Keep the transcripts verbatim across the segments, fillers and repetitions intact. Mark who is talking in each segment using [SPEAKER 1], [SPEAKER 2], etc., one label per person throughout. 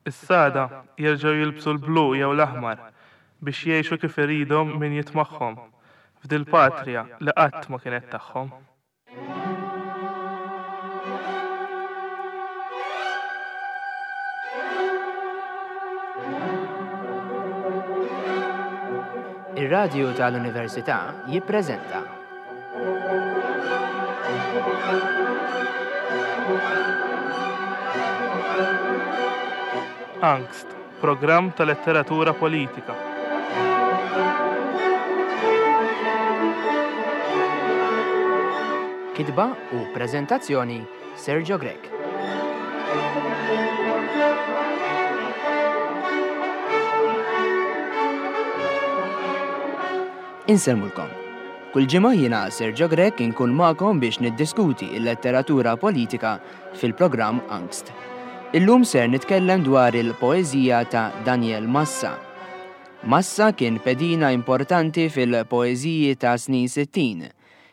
[SPEAKER 1] Issa għada jerġgħu jilbsu l-blu jew l-aħmar biex jgħixu kif iridhom min jitmagħhom f'dil-patrija li qatt ma kienet tagħhom.
[SPEAKER 2] Ir-Radju tal-Università jippreżenta
[SPEAKER 1] Angst, programm ta' letteratura politika.
[SPEAKER 2] Kitba u preżentazzjoni Sergio Grech. Insellmulkom. Kull ġimgħa jiena Sergio Grech inkun magħkom biex niddiskuti l-letteratura politika fil-programm Angst. Illum ser nitkellem dwar il-poeżija ta' Daniel Massa. Massa kien pedina importanti fil-poeżiji ta' snin sittin.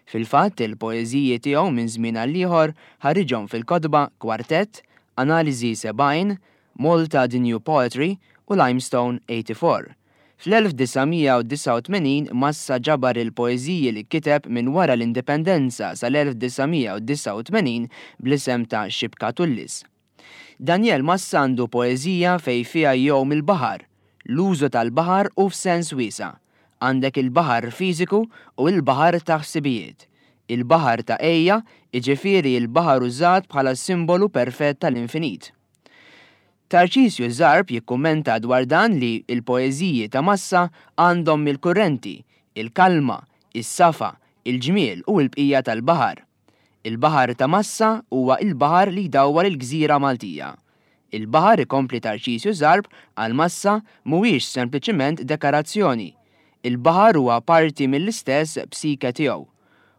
[SPEAKER 2] Fil-fatt, il-poeżiji tiegħu minn żmien għal ieħor ħariġhom fil-kotba Kwartett, Analiżi sebgħin, Malta The New Poetry u Limestone eighty-four. Fl-elf disa' mija u disgħa u tmenin Massa ġabar il-poeżiji li kiteb minn wara l-indipendenza sal-elf disa' mija u disgħa u tmenin bl-isem ta' Xibka Tullis. Daniel Massa għandu poeżija fej fiha jgħum il-baħar, l-użu tal-baħar u f'sens wiesa'. Għandek il-baħar fiżiku u l-baħar ta' ħsibijiet. Il-baħar ta' ejja, jiġifieri l-baħar użat bħala simbolu perfett tal-infinit. Tarċisju Zarb jikkummenta dwar dan li l-poeżiji ta' Massa għandhom il-kurrenti, il-kalma, is-safa, il-ġmiel u l-bqija tal-baħar. Il-baħar ta' Massa huwa il-baħar li jdawwar il-gżira Maltija. Il-baħar, ikompli Tarċisju Zarb, għal Massa mhuwiex sempliċiment dekorazzjoni. Il-baħar huwa parti mill-istess psike tiegħu.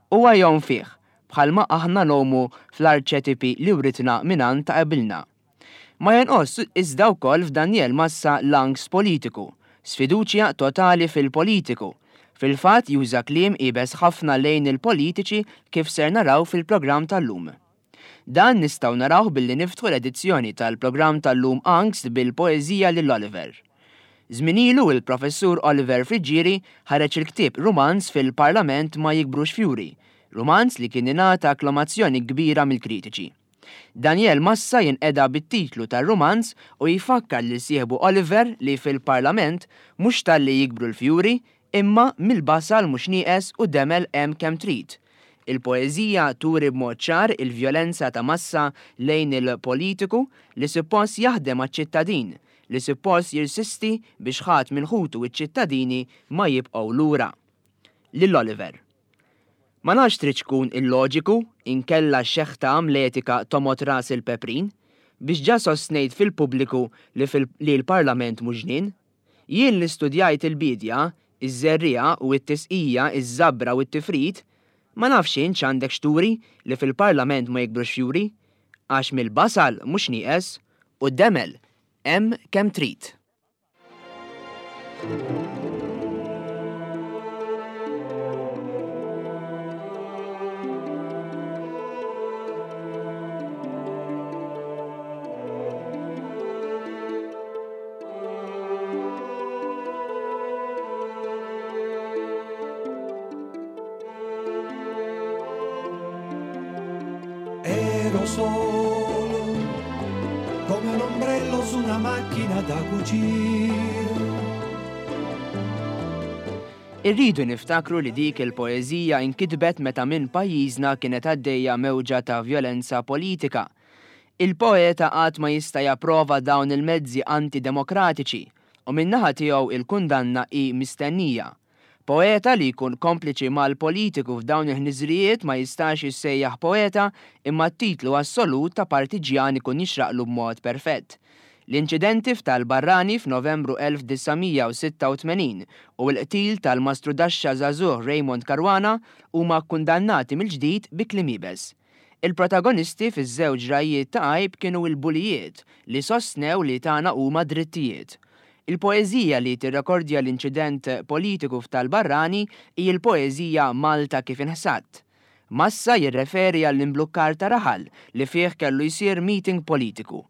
[SPEAKER 2] Huwa jgħum fih, bħalma aħna ngħumu fl-arċetipi li writna mingħand ta' qabilna. Ma jonqos iżda wkoll f'Daniel Massa l-angst politiku, sfiduċja totali fil-politiku. Fil-fatt juża kliem iebes ħafna lejn il-politiċi kif ser naraw fil-programm tal-lum. Dan nistgħu narawh billi niftħu l-edizzjoni tal-programm tal-lum Angst bil-poeżija lil Oliver. Żmien ilu il-professur Oliver Friggieri ħareġ il-ktieb Rumanz fil-Parlament ma jikbrux fjuri, rumanz li kien ingħata akklamazzjoni kbira mill-kritiċi. Daniel Massa jinqeda bit-titlu tar-rumanz u jfakkar lil sieħbu Oliver li fil-Parlament mhux talli jikbru l-fjuri, imma mill-basal mhux nieqes u demel hemm kemm trid. Il-poeżija turi b'mod ċar il-vjolenza ta' Massa lejn il-politiku li suppost jaħdem għaċ-ċittadin, li suppost jirsisti biex ħadd minn ħutu iċ-ċittadini ma jibqgħu lura. Lil Oliver. Ma nafx trid tkun illoġiku inkella xeħta amletika tomot ras il-peprin biex ġa sostnejt fil-pubbliku li fil-, li l-Parlament mhux ġnien. Jien li studjajt il-bidja, iż-żerriegħa u t-tisqija, iż-żabra u t-tifrid, ma nafx int x'għandek xturi li fil-Parlament ma jikbrux fjuri, għax mill-basal mhux nieqes u d-demel hemm kemm trid.
[SPEAKER 3] Ero solo come un ombrello su una macchina da cucire.
[SPEAKER 2] Irridu niftakru li dik il-poeżija inkitbet meta minn pajjiżna kienet għaddejja mewġa ta' vjolenza politika. Il-poeta qatt ma jista' japprova dawn il-mezzi antidemokratiċi u min-naħa tiegħu il-kundanna hi mistennija. Poeta li jkun kompliċi mal-politiku f'dawn il-ħniżrijiet ma jistax jissejjaħ poeta imma t-titlu assolut ta' partiġjan ikun jixraqlu b'mod perfett. L-inċidenti f'Tal-Barrani f'Novembru elf disa' mija u sitta u tmenin u l-qtil tal-mastrudaxxa żagħżugħ Raymond Caruana huma kkundannati mill-ġdid bi kliem iebes. Il-protagonisti fiż-żewġ rajiet ta' għajb kienu l-bulijiet li sostnew li tagħna huma drittijiet. Il-poeżija li tirrekordja l-inċident politiku f'Tal-Barrani hi l-poeżija Malta kif inħsadt. Massa jirreferi għall-imblukkar ta' raħal li fih kellu jsir meeting politiku.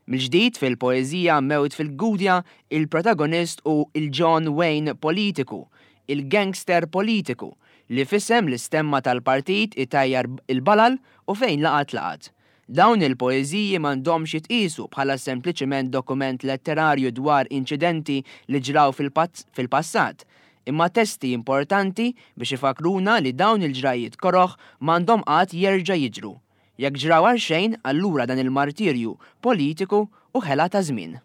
[SPEAKER 2] Mill-ġdid fil-poeżija Mewt fil-Gudja, il-protagonist hu il-John Wayne politiku, il-gangster politiku, li f'isem l-istemma tal-partit itajjar il-balal u fejn laqat laqat. Dawn il-poeżiji m'għandhomx jitqiesu bħala sempliċiment dokument letterarju dwar inċidenti li ġraw fil-passat, imma testi importanti biex ifakruna li dawn il-ġrajiet koroħ m'għandhom qatt jerġa' jiġru. Jekk ġraw għal xejn, allura dan il-martirju politiku u ħela ta' żmien.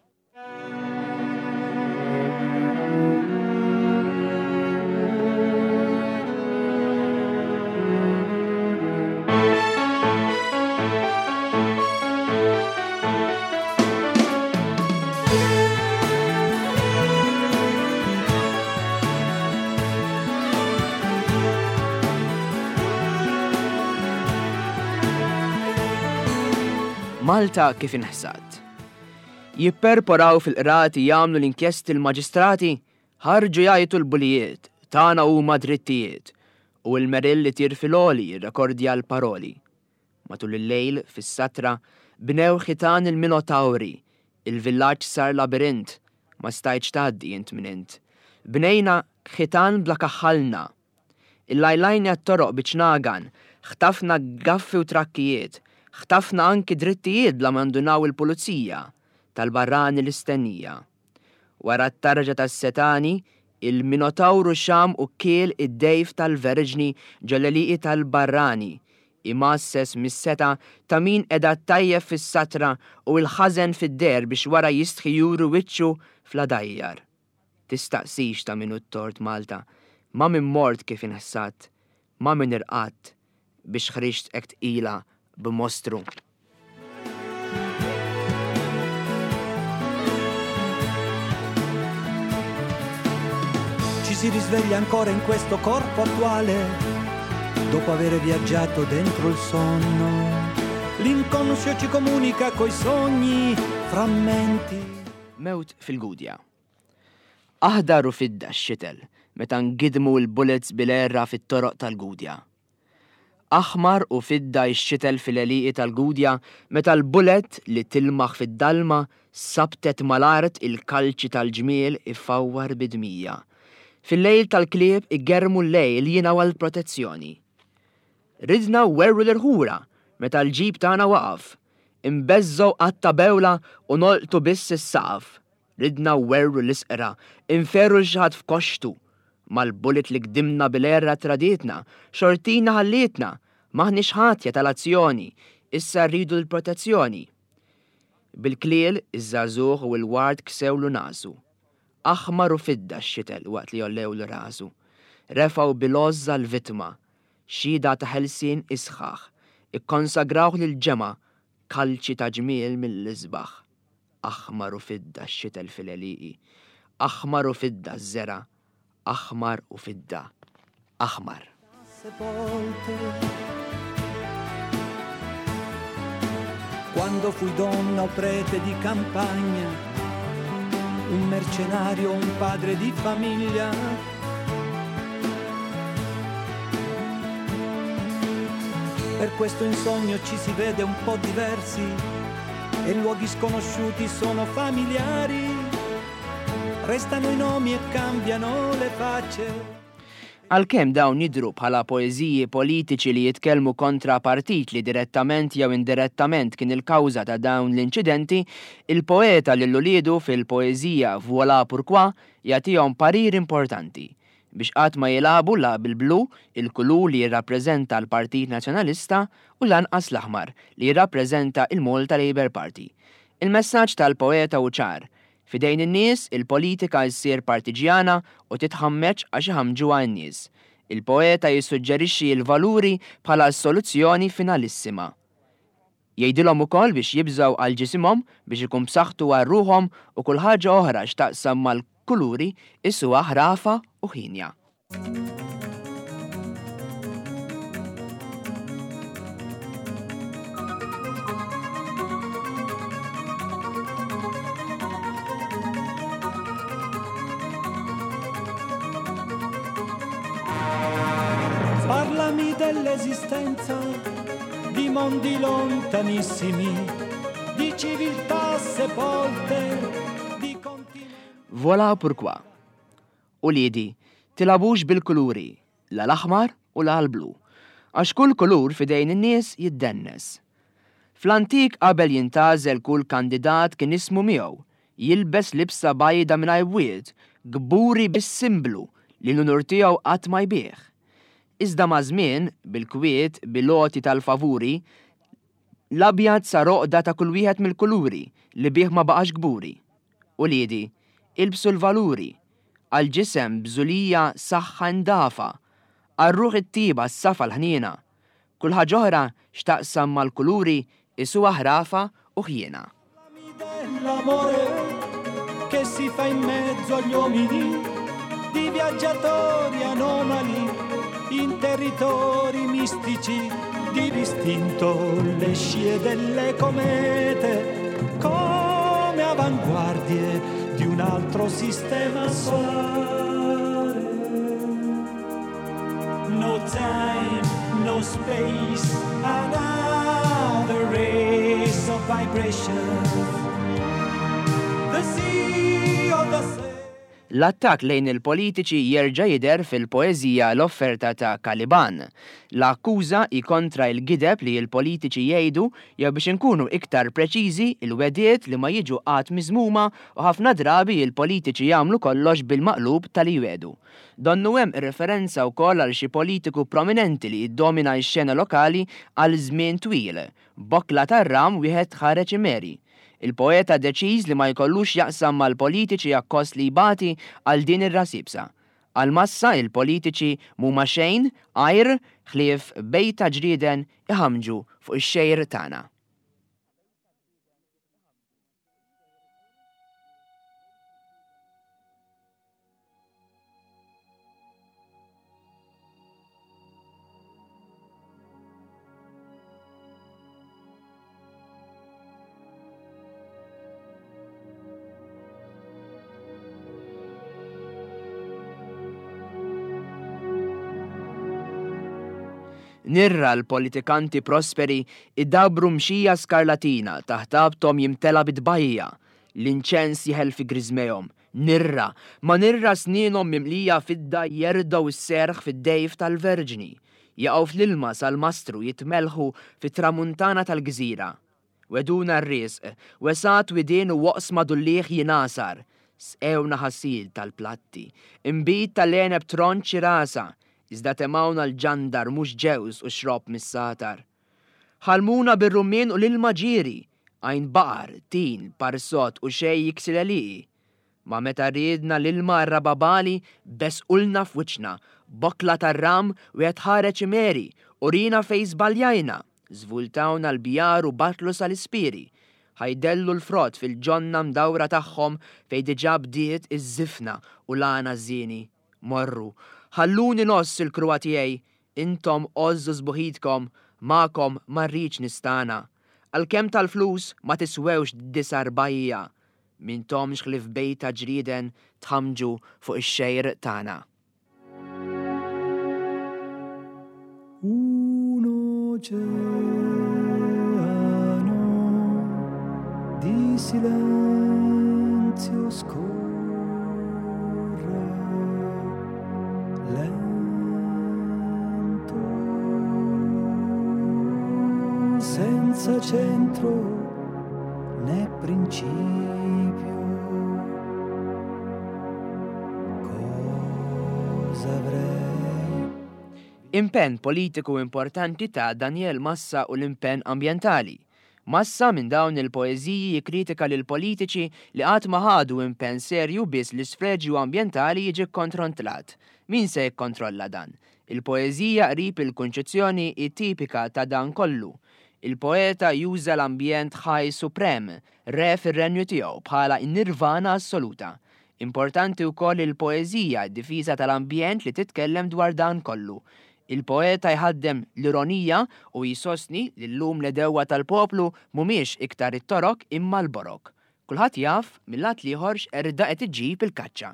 [SPEAKER 2] Malta kif inħsad. Jipperporaw fil-qrati jagħmlu l-inkjesti l-maġistrati, ħarġu jgħajtu l-bulijiet, tagħna huma drittijiet, u l-merill li tir fil-għoli jirrekordja l-paroli. Matul il-lejl, fis-satra, bnew ħitan il-Minotawri, il-villaġġ sar labirint, ma stajtx tgħaddi int minn int. Bnejna ħitan bla kaħħalna. Il-lajlajna t-toroq biċnagan, ħtafna gaffi u trakkijiet, ħtafna anki drittijiet bla mandunaw il-pulizija tal-barrani l-istennija. Wara t-tarġa tas-setani, il-Minotawru xam u kiel id-dejf tal-verġni ġoleliqi tal-barrani, imasses mis-seta ta' min edha tajjeb fis-satra u l-ħażen fid-der biex wara jistħi juru wiċċu fl-adajjar. Tistaqsix ta' min hu t-tort Malta, ma min mort kif inħsat, ma min irqatt biex ħriġt hekk tqila b'mostru.
[SPEAKER 3] Ci si risveglia ancora in questo corpo attuale dopo avere viaggiato dentro il sonno. L'inconscio ci comunica coi sogni frammenti.
[SPEAKER 2] Mewt fil-Gudja. Aħdar u fidda x-xitel meta ngidmu l-bullets bil-erra fit-toroq tal-Gudja. Aħmar u fidda x-xitel fil-għelieqi tal-Gudja meta l-bullet li tilmaħ fid-dalma sabtet mal-art il-kalċi tal-ġmiel ifawwar bidmija. Fil-lejl tal-klieb igermu l-lejl jingħaw għall-protezzjoni. Ridna werru l-irħura meta l-ġib tagħna waqaf, imbeżżgħu qatta bewla u nolqtu biss is-saqaf. Ridna werru l-isqra, inferru l xi ħadd f'koxtu. Mal-bullet li gdimna bil-erra traditna, xortina ħallietna, maħniex ħatja tal-azzjoni, issa rridu l-protezzjoni. Bil-kliel, iż-żagħżugħ u l-ward ksewlu nasu. Aħmar u fidda x-xitel waqt li jollewlu rasu. Refgħu bil-għożża l-vittma, xhieda ta' ħelsien isħaħ, ikkonsagrawh lil-ġemgħa, kalċi ta' ġmiel mill-isbaħ. Aħmar u fidda x-xitel fil-għelieqi, aħmar u fidda ż-żera, aħmar u fidda, aħmar.
[SPEAKER 3] Quando fui donna o prete di campagna, un mercenario, un padre di famiglia. Per questo in sogno ci si vede un po' diversi e luoghi sconosciuti sono familiari. Restano i nomi e cambiano le facce.
[SPEAKER 2] Għalkemm dawn jidhru bħala poeżiji politiċi li jitkellmu kontra partit li direttament jew indirettament kien il-kawża ta' dawn l-inċidenti, il-poeta lil uliedu fil-poeżija Voilà Pourquoi jagħtihom parir importanti biex qatt ma jilagħbu la bil-blu, il-kulur li jirrappreżenta l-Partit Nazzjonalista, u lanqas l-aħmar li jirrappreżenta il-Malta Labour Party. Il-messaġġ tal-poeta hu ċar. Fidejn in-nies, il-politika ssir partiġjana u titħammeġ għax iħamġuha n-nies. Il-poeta jissuġġerixxi l-valuri bħala s-soluzzjoni finalissima. Jgħidilhom ukoll biex jibżgħu għal ġisimhom biex ikun b'saħħtu għal ruħhom u kull ħaġa oħra x'taqsam mal-kuluri isuha ħrafa u ħinja.
[SPEAKER 3] Parlami dell'esistenza di mondi lontanissimi, di civiltà sepolte, di continenti.
[SPEAKER 2] Voilà pourquoi. Uliedi, tilagħbux bil-kuluri, la l-aħmar u la l-blu, għax kull kulur fidejn in-nies jiddennes. Fl-antik qabel jintgħażel kull kandidat kien ismu miegħu, jilbes libsa bajda mingħajr bwiet, kburi bis-simblu li l-unur tiegħu qatt ma jbigħ. Iżda ma' żmien, bil-kwiet, bil-għoti tal-favuri, l-abjad sar għoqda ta' kull wieħed mill-kuluri li bih ma baqax kburi. Uliedi, ilbsu l-valuri, għal-ġisem bżulija saħħa ndafa, għar-ruħ it-tiba s-safa l-ħniena. Kull ħaġa oħra x'taqsam mal-kuluri isuha ħrafa u ħjiena.
[SPEAKER 3] Dell'amore che si fa in mezzo agli uomini, di viaggiatori anomali, in territori mistici, di distinto le scie delle comete, come avanguardie di un altro sistema solare. No time, no space, another race of vibrations. The sea of the sea.
[SPEAKER 2] L-attak lejn il-politiċi jerġa' jidher fil-poeżija L-Offerta ta' Caliban. L-akkuża hi kontra l-gideb li l-politiċi jgħidu jew biex inkunu iktar preċiżi il-wegħdiet li ma jiġu qatt miżmuma u ħafna drabi il-politiċi jagħmlu kollox bil-maqlub tal-li jgħidu. Donnu hemm referenza wkoll għal xi politiku prominenti li jiddomina x-xena lokali għal żmien twil. Bokla tar-ram wieħed ħareġ imeri. Il-poeta deċiż li ma jkollux jaqsam mal-politiċi akkost li jbati għal din ir-rasibsa. Għal-massa il-politiċi mhuma xejn għajr ħlief bejta ġrieden iħamġu fuq ix-xejr tagħna. Nirra l-politikanti prosperi idabru mxija skarlatina taħt abtom jimtela bidbajja, l-inċens jeħel fi griżmejhom. Nirra, ma nirra snienhom mimlija fidda jerdaw is-serħ fid-dejf tal-verġni, jaqgħu fl-ilma sal-mastru jitmelħu fit-tramuntana tal-gżira. Weduna r-risq, wesat widien u waqsma dulliħ jinasar, sqewna ħasil tal-platti, imbid tal-għeneb tronċi rasa, iżda temawna l-ġandar mhux ġewż u xrob mis-satar. Ħalmuna bir-rummien u l-ilma ġieri, għajn baqar, tin, parsot u xej jiksil għaliqi. Ma meta riedna l-ilma rababali besqulna f'wiċċna, bokla tar-ram u qed ħareġ imeri, u rina fej żbaljajna, żvultawna l-bjar u batlu sal-ispiri. Ħajdellu l-frott fil-ġonna mdawra tagħhom fej diġà bdiet iż-żifna u l-għana żieni. Morru, ħalluni noss il-kruwa tiegħi, intom għożżu sbuħitkom, magħkom ma rridx nistana. Għalkemm tal-flus ma tiswewx disa' rbajja, mintomx ħlief bejta ġrieden tħamġu fuq ix-xejr tagħna.
[SPEAKER 3] Un oceano di silenzio scorre lento, senza centro né principio. Cosa avrei?
[SPEAKER 2] Impenn politiku importanti ta' Daniel Massa u l-impenn ambjentali. Massa minn dawn il-poeżiji jikkritika lil politiċi li qatt ma ħadu impenn serju biss l-isfreġju ambjentali jiġi kkontrollat. Min se jikkontrolla dan? Il-poeżija qrib il-kunċezzjoni hi tipika ta' dan kollu. Il-poeta juża l-ambjent ħaj suprem, re fir-renju tiegħu bħala n-nirvana assoluta. Importanti wkoll il-poeżija d-difiża tal-ambjent li titkellem dwar dan kollu. Il-poeta jħaddem l-ironija u jisostni li llum l-edewwa tal-poplu mhumiex iktar it-torok imma l-borok. Kulħadd jaf mill-lat l-ieħor x'qerda qed iġġib il-kaċċa.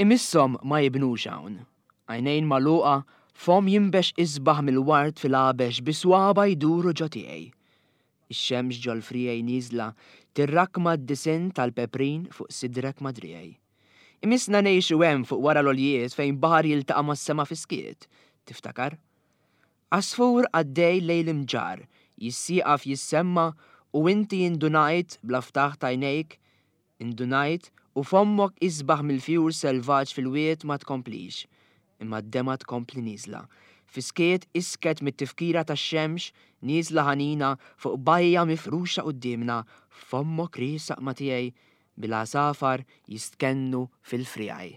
[SPEAKER 2] Imisshom ma jibnux hawn. Għajnejn magħluqa, fomm jinbex isbaħ mill-ward fil-għabex bi swaba jduru ġo tiegħi. Ix-xemx ġol-friegħi nieżla tirrakma d-disinn tal-peprin fuq sidrek ma' driegħi. Imissna ngħixu hemm fuq wara l-għoljiet fejn baħar jiltaqa' mas-sema fis-skiet, tiftakar? Għasfur għaddej lejn l-imġarr, jissieqaf jissemma u inti indunajt bla ftaħ t'għajnejk, indunajt u fommok isbaħ mill-fjur selvaġġ fil-wied ma tkomplix, imma d-demgħa tkompli nieżla. Fis-skiet isket mit-tifkira tax-xemx nieżla ħanina fuq bajja mifruxa quddiemna, fommok riesaq ma' tiegħi bil-għasafar jistkennu fil-friegħi.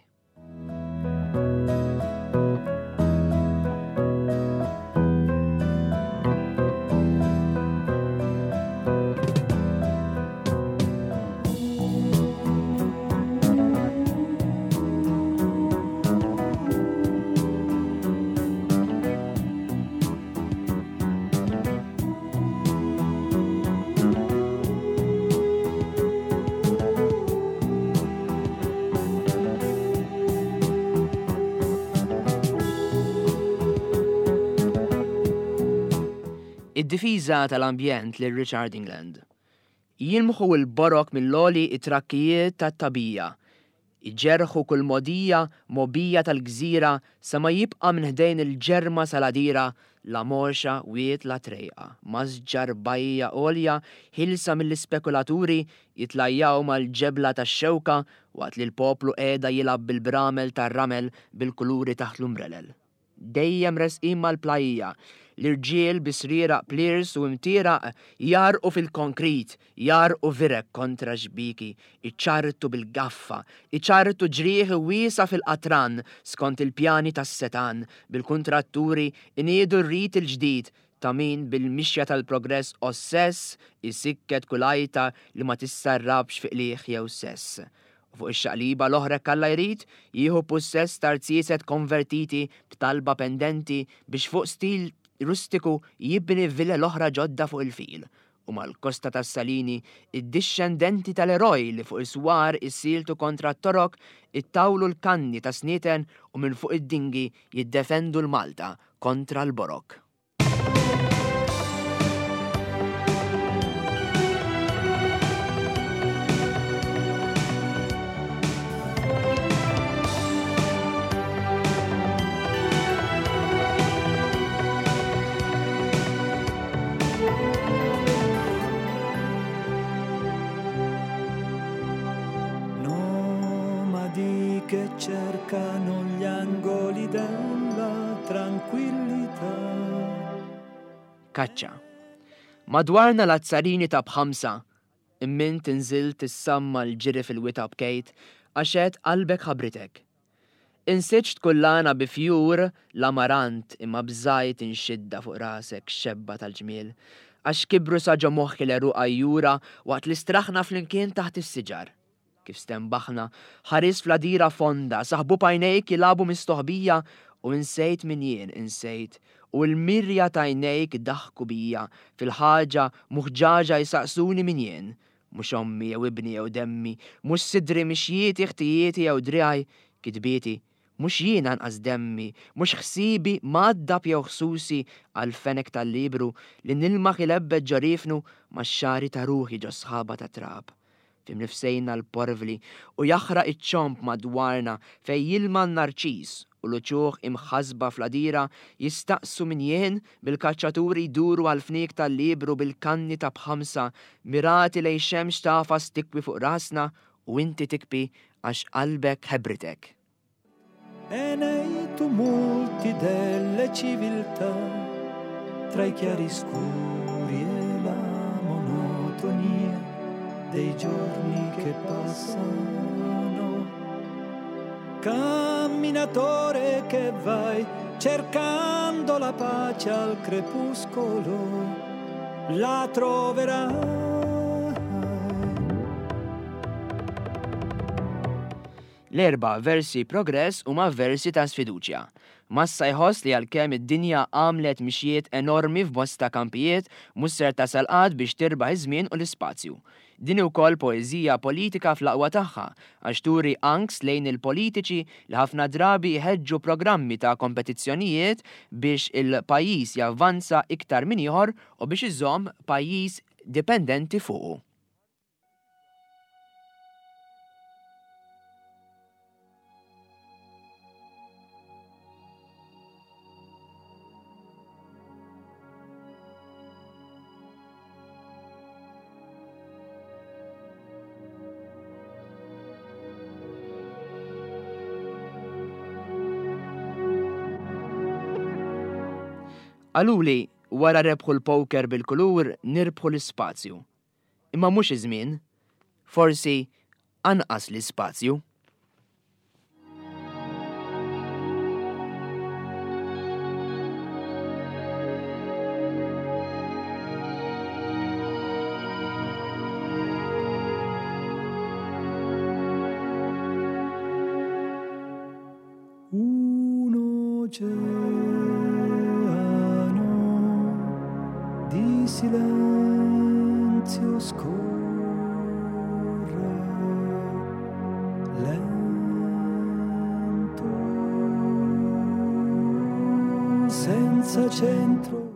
[SPEAKER 2] Id-difiża tal-ambjent lil Richard England. Jilmħu l-borok mill-għoli it-trakkijiet tat-tagħbija. Iġerħu kull mogħdija mgħobbija tal-gżira sa ma jibqa' minn ħdejn il-ġerma saladira la morxa wied la trejqa. Masġar bajja għolja ħilsa mill-ispekulaturi jitlajjaw mal-ġebla tax-xewka waqt li l-poplu qiegħda jilgħab bil-bramel tar-ramel bil-kuluri taħt l-umbrelel. Dejjem resqin mal-plajja, l-irġiel bi srieraq pliers u imtieraq jarqu fil-konkrit, jarqu virek kontra xbiki, iċartu bil-gaffa, iċartu ġrieħi wiesa fil-qatran skont il-pjani tas-setan, bil-kuntratturi iniedu r-rit il-ġdid ta' min bil-mixja tal-progress ossess isikket kull għajta li ma tissarrabx fi qligħ jew sess. U fuq ix-xaqliba l-oħra kalla jrid jieħu possess tarzieset konvertiti b'talba pendenti biex fuq stil rustiku jibni villa l-oħra ġodda fuq il-fil. U mal-kosta tas-Salini, id-dixxendenti tal-eroj li fuq is-swar issiltu kontra t-torok ittawlu l-kanni ta' snieten u minn fuq id-dingi jiddefendu l-Malta kontra l-Borok.
[SPEAKER 3] Nomadi che cercano gli angoli della tranquillità.
[SPEAKER 2] Kaċċa. Madwarna l-azzarini ta' b'ħamsa, immint inżilt tissamma l-ġiri fil-wita bkejt, għaxet qalbek ħabritek. Insiġt kullana bi fjur l-amarant imma bżajt inxidda fuq rasek xebba tal-ġmiel, għax kibru sa ġo moħħi l-għeruq għajjura waqt li straħna flimkien taħt is-siġar. Kif stembaħna, ħaris fl-għadira fonda, saħbu pajnejk jilagħbu mistoħbija u insejt min jien insejt, u l-mirja tajnejk daħku bija, fil-ħaġa muħġaġa jisaqsuni min jien. Mhux ommi jew ibni jew demmi, mhux sidri mixjieti ħtijieti jew driegħi, kitbieti, mhux jien anqas demmi, mhux ħsibi mgħaddab jew ħsusi għal-fenek tal-libru li nilmaħ ilebbet ġorifnu max-xagħri ta' ruħi ġo sħaba ta' trab. Fimnifsejna l-porvli u jaħraq iċ-ċomp madwarna fej jilma n-narċis u l-uċuħ imħasba fl-għadira jistaqsu min jien bil-kaċċaturi jduru għal-fniek tal-libru bil-kanni ta' b'ħamsa mirati lejn xemx tafas tikwi fuq rasna u inti tikpi għax qalbek ħebritek.
[SPEAKER 3] E nei tumulti delle civiltà, tra i chiaroscuri e la monotonia dei giorni che passano, camminatore che vai cercando la pace al crepuscolo, la troverai.
[SPEAKER 2] L-erba' versi progress huma versi ta' sfiduċja. Massa jħoss li għalkemm id-dinja għamlet mixjiet enormi f'bosta kampijiet, mhux ser tasal qatt biex tirbaħ iż-żmien u l-ispazju. Din ukoll poeżija politika fl-aqwa tagħha għax turi angst lejn il-politiċi li ħafna drabi jħeġġu programmi ta' kompetizzjonijiet biex il-pajjiż javvanza iktar minn ieħor u biex iżomm pajjiż dipendenti fuqu. Qaluli wara rebħu l-poker bil-kulur nirbħu l-ispazju. Imma mhux iż-żmien, forsi anqas l-ispazju.
[SPEAKER 3] Un oceano di silenzio scorre lento, senza centro.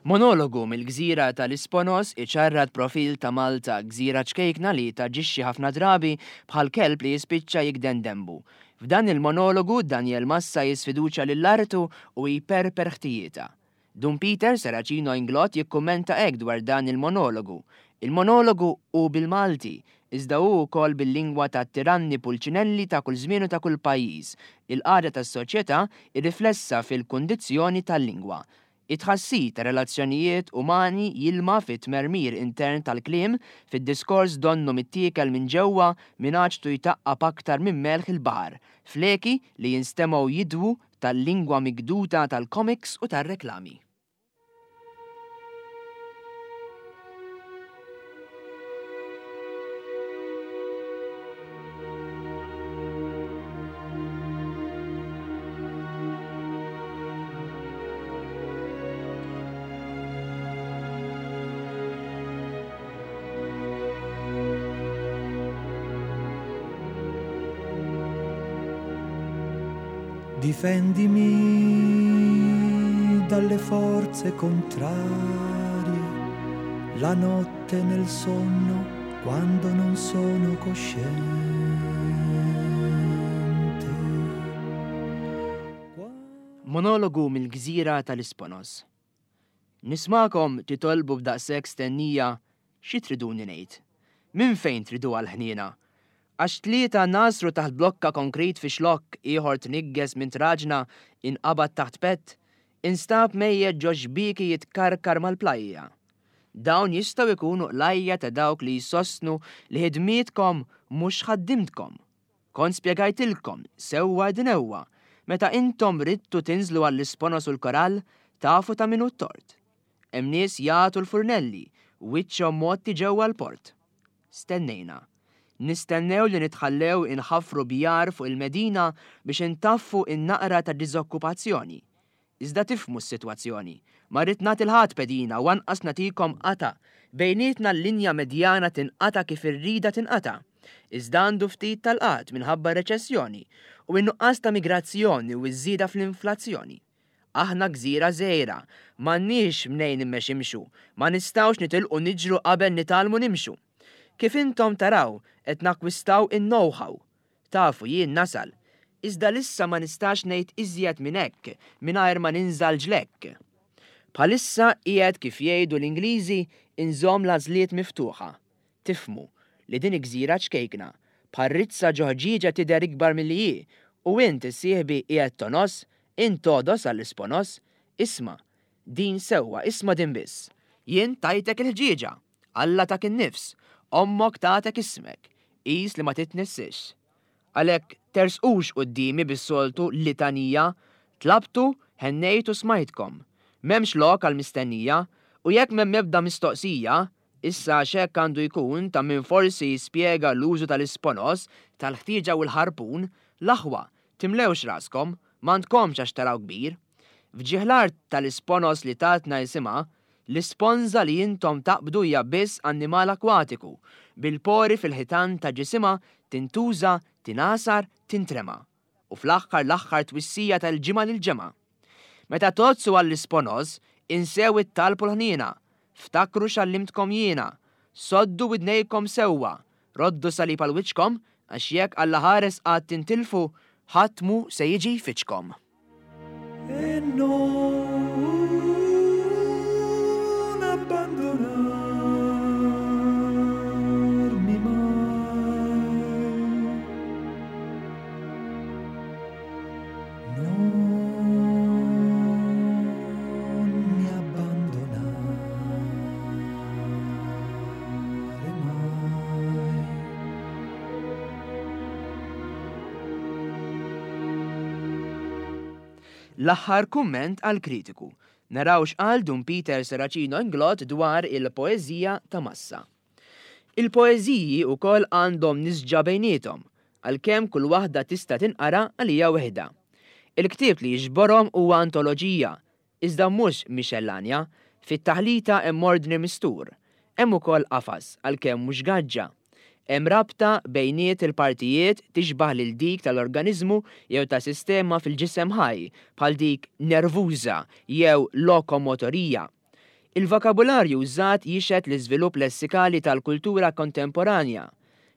[SPEAKER 2] Monologu mill-gżira tal-Isponos iċarrat profil ta' Malta, gżira ċkejkna li taġixxi ħafna drabi bħal kelb li jispiċċa jikden dembu. F'dan il-monologu Daniel Massa jisfiduċa lill-artu u jperper ħtijietha. Dun Peter Serracino Inglott jikkummenta hekk dwar dan il-monologu. Il-monologu hu bil-Malti, iżda hu wkoll bil-lingwa ta' tiranni pulċinelli ta' kull żmien u ta' kull pajjiż. Il-qagħda tas-soċjetà irriflessa fil-kundizzjoni tal-lingwa. It-tħassib ta' relazzjonijiet umani jilma fit-tmermir intern tal-kliem, fid-diskors donnu mittiekel minn ġewwa minn għaġtu jtaqqab aktar minn melħ il-baħar, fleki li jinstemgħu jidwu tal-lingwa migduta tal-komiks u tar-reklami.
[SPEAKER 3] Difendimi dalle forze contrarie, la notte nel sonno quando non sono cosciente.
[SPEAKER 2] Monologu mill-gżira tal-Isponos. Nismakom titolbu b'daqshekk stennija xi triduni ngħid. Min fejn tridu għall-ħniena? Għax tlieta nasru taħt blokka konkrit fi xlokk, ieħor tnigges minn traġna inqabad taħt pett, instab mejjed ġo xbieki jitkarkar mal-plajja. Dawn jistgħu jkunu qlajja ta' dawk li jsostnu li ħidmietkom mhux ħaddimtkom. Kont spjegajtilkom sewwa dinewwa, meta intom ridtu tinżlu għall-Isponos u l-korall, tafu ta' min hu t-tort. Hemm nies jagħtu l-furnelli, wiċċhom motti ġewwa l-port. Stennejna. Nistennew li nitħallew inħaffru bjar fuq il-Medina biex intaffu in-naqra ta' diżokkupazzjoni. Iżda tifhmu s-sitwazzjoni. Ma rrid nagħti l-ħadd pedina u anqas nagħtikom qata. Bejnietna l-linja medjana tinqata kif irrida tinqata. Iżda għandu ftit tal-qat minħabba reċessjoni u n-nuqqas ta' migrazzjoni u ż-żieda fl-inflazzjoni. Aħna gżira żgħira, m'għandniex mnejn immeximxu, ma nistgħux nitilqu niġru qabel nitgħallmu nimxu. Kif intom taraw qed nakkwistaw in-know-how. Tafu jien nasal, iżda lissa ma nistax ngħid iżjed minn hekk mingħajr ma ninżal ġlekk. Bħalissa qiegħed kif jgħidu l-Ingliżi inżomm l-għażliet miftuħa. Tifhmu li din gżira ċkejkna, bħal rizza ġo ħġieġa tidher ikbar milli hi, u int issieħbi qiegħed tonos, int todos għall-Isponos, isma' din sewwa, isma' din biss. Jien tajtek il-ħġieġa, Alla tak in-nifs, ommok tatek ismek, qis li ma titnissix. Għalhekk tersqux quddiemi bis-soltu litanija, tlabtu, ħennejtu smajtkom. M'hemmx lok għall-mistennija, u jekk m'hemm ebda mistoqsija, issa għax hekk għandu jkun ta' min forsi jispjega l-użu tal-Isponos, tal-ħtieġa u l-ħarpun, l-aħwa, timlewx raskom, m'għandkomx għax taraw kbir. F'ġieħ l-art tal-Isponos li tatna jisimha, L-isponża li intom taqbdu hija biss annimal akwatiku, bil-pori fil-ħitan ta' ġisimha tintuża, tingħasar, tintrema. U fl-aħħar l-aħħar twissija tal-ġimgħa lill-ġemgħa. Meta tgħoddsu għall-isponoż, insew it-talb u l-ħniena, ftakru x'għallimtkom jiena, soddu widnejkom sewwa, roddu salib għal wiċċkom, għax jekk Alla ħares qatt tintilfu, ħadd mhu se jiġi jfittxkom.
[SPEAKER 3] E non abbandonarmi mai. Non mi abbandonare mai.
[SPEAKER 2] L-aħħar kumment għall-kritiku. Naraw x'qal Dun Peter Serracino Inglott dwar il-poeżija ta' Massa. Il-poeżiji wkoll għandhom nisġa bejniethom, għalkemm kull waħda tista' tinqara għalija weħda. Il-ktieb li jiġborhom huwa antoloġija, iżda mhux mixellanja, fit-taħlita hemm ordni mistur, hemm ukoll qafas għalkemm mhux gaġġa. Hemm rabta bejniet il-partijiet tixbah lil dik tal-organizmu jew ta' sistema fil-ġisem ħaj, bħal dik nervuża jew lokomotorija. Il-vokabularju użat jixhed l-iżvilupp lessikali tal-kultura kontemporanja.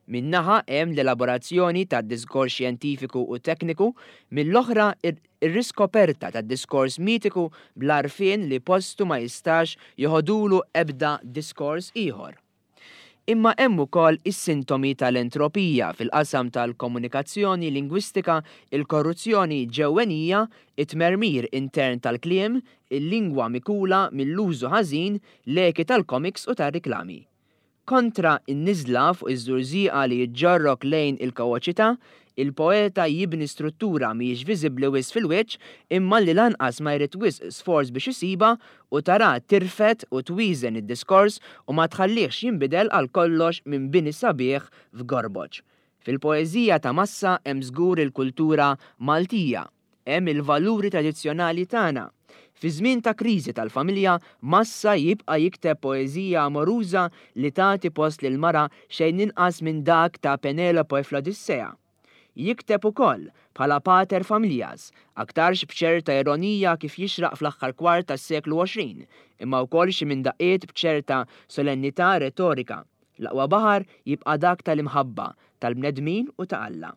[SPEAKER 2] Min-naħa hemm l-elaborazzjoni tad-diskors xjentifiku u tekniku, mill-oħra ir-riskoperta tad-diskors mitiku bl-għarfien li postu ma jistax joħodulu ebda diskors ieħor. Imma hemm ukoll is-sintomi tal-entropija fil-qasam tal-komunikazzjoni lingwistika, il-korruzzjoni ġewwenija, it-tmermir intern tal-kliem, il-lingwa mikula mill-użu ħażin, l-eki tal-komiks u tar-riklami. Kontra n-niżla fuq iż-żurżieqa li ġġorrok lejn il-kaoċità, il-poeta jibni struttura mhijiex viżibbli wisq fil-wiċċ imma li lanqas ma jrid wisq sforz biex isiba u tara tirfed u twieżen id-diskors u ma tħallihx jinbidel għal kollox minn bini sabiħ f'gorboġ. Fil-poeżija ta' Massa hemm żgur il-kultura Maltija, hemm il-valuri tradizzjonali tagħna. Fi żmien ta' kriżi tal-familja, Massa jibqa' jikteb poeżija amoruża li tagħti post lil mara xejn inqas minn dak ta' Penelope fl-Odissea. Jikteb ukoll bħala pater familias, aktarx b'ċerta ironija kif jixraq fl-aħħar kwart tas-seklu għoxrin, imma wkoll xi minn daqqiet b'ċerta solennità retorika. L-aqwa baħar jibqa' dak tal-imħabba, tal-bnedmin u ta' Alla.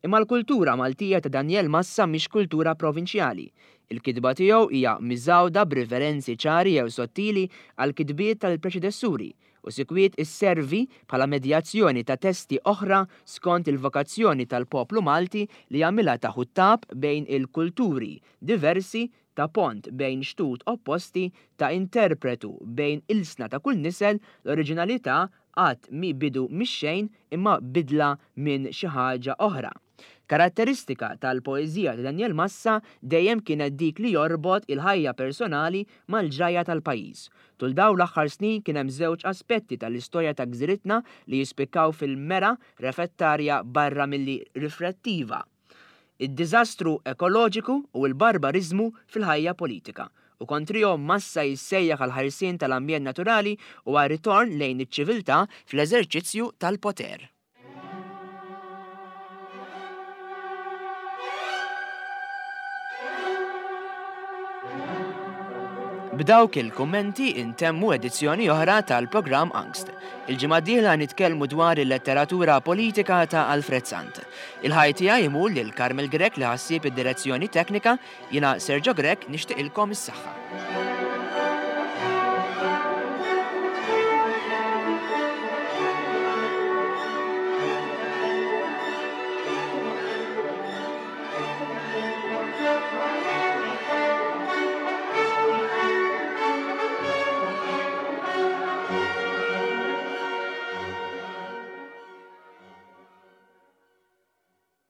[SPEAKER 2] Imma l-kultura Maltija ta' Daniel Massa mhix kultura provinċjali. Il-kitba tiegħu hija miżgħuda b'riferenzi ċari jew sottili għal kitbiet tal-preċedessuri u sikwit isservi bħala medjazzjoni ta' testi oħra skont il-vokazzjoni tal-poplu Malti li jagħmilha ta' ħuttab bejn il-kulturi diversi, ta' pont bejn xtut opposti, ta' interpretu bejn ilsna ta' kull nisel. L-oriġinalità qatt mi bidu mix-xejn imma bidla minn xi ħaġa oħra. Karatteristika tal-poeżija ta' Daniel Massa dejjem kienet dik li jorbot il-ħajja personali mal-ġrajja tal-pajjiż. Tul dawn l-aħħar snin kien hemm żewġ aspetti tal-istorja ta' gżiritna li jispikkaw fil-mera refettarja barra milli riflettiva. Id-diżastru ekoloġiku u l-barbariżmu fil-ħajja politika. U kontrihom Massa jissejjaħ għal ħarsien tal-ambjent naturali u għal ritorn lejn iċ-ċiviltà fl-eżerċizzju tal-poter. B'dawk il-kummenti intemmu edizzjoni oħra tal-programm Angst. Il-ġimgħa d-dieħla nitkellmu dwar il-letteratura politika ta' Alfred Sant. Il-ħaj tiegħi imur lil Carmel Grech li ħassieb id-direzzjoni teknika, jiena Sergio Grech nixtieqilkom is-saħħa.